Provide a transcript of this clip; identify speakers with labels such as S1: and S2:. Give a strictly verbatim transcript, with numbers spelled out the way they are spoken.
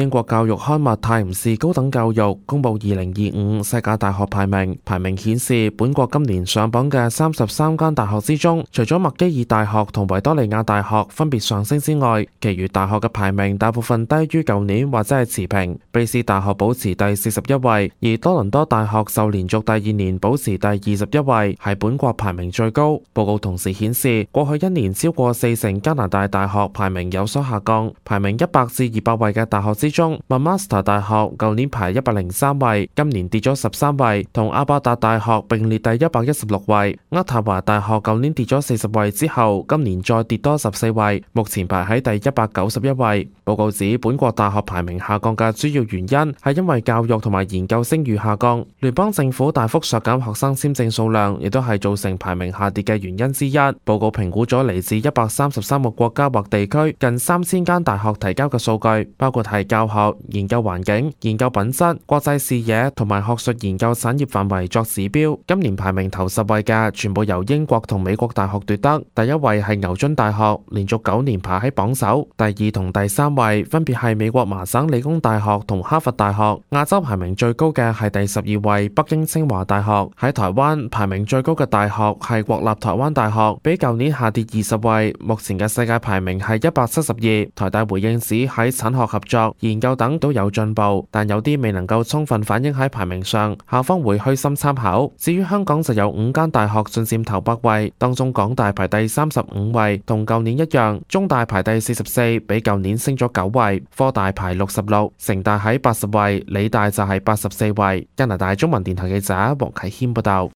S1: 英國教育刊物《泰晤士高等教育》公佈二零二五世界大學排名，排名顯示本國今年上榜嘅三十三間大學之中，除咗麥基爾大學同維多利亞大學分別上升之外，其餘大學嘅排名大部分低於舊年或者係持平。卑斯大學保持第四十一位，而多倫多大學就連續第二年保持第二十一位，係本國排名最高。報告同時顯示，過去一年超過四成加拿大大學排名有所下降，排名一百至二百位嘅大學之中，麥馬斯特大學舊年排一百零三位，今年跌咗十三位，同阿伯達大學並列第一百一十六位。渥太華大學舊年跌咗四十位之後，今年再跌多十四位，目前排喺第一百九十一位。報告指，本國大學排名下降嘅主要原因係因為教育同埋研究聲譽下降，聯邦政府大幅削減學生簽證數量，亦都係造成排名下跌嘅原因之一。報告評估咗嚟自一百三十三個國家或地區近三千間大學提交嘅數據，包括係教學、研究環境、研究品質、國際視野同埋學術研究產業範圍作指標。今年排名頭十位嘅全部由英國同美國大學奪得，第一位係牛津大學，連續九年排喺榜首，第二同第三位分別係美國麻省理工大學同哈佛大學。亞洲排名最高嘅係第十二位北京清華大學。喺台灣排名最高嘅大學係國立台灣大學，比舊年下跌二十位，目前嘅世界排名係一百七十二。台大回應指喺產學合作、研究等都有進步，但有啲未能夠充分反映喺排名上，校方會虛心參考。至於香港就有五間大學進佔頭百位，當中港大排第三十五位，同舊年一樣；中大排第四十四，比舊年升咗九位；科大排六十六，城大喺八十位，理大就係八十四位。加拿大中文電台記者黃啟謙報道。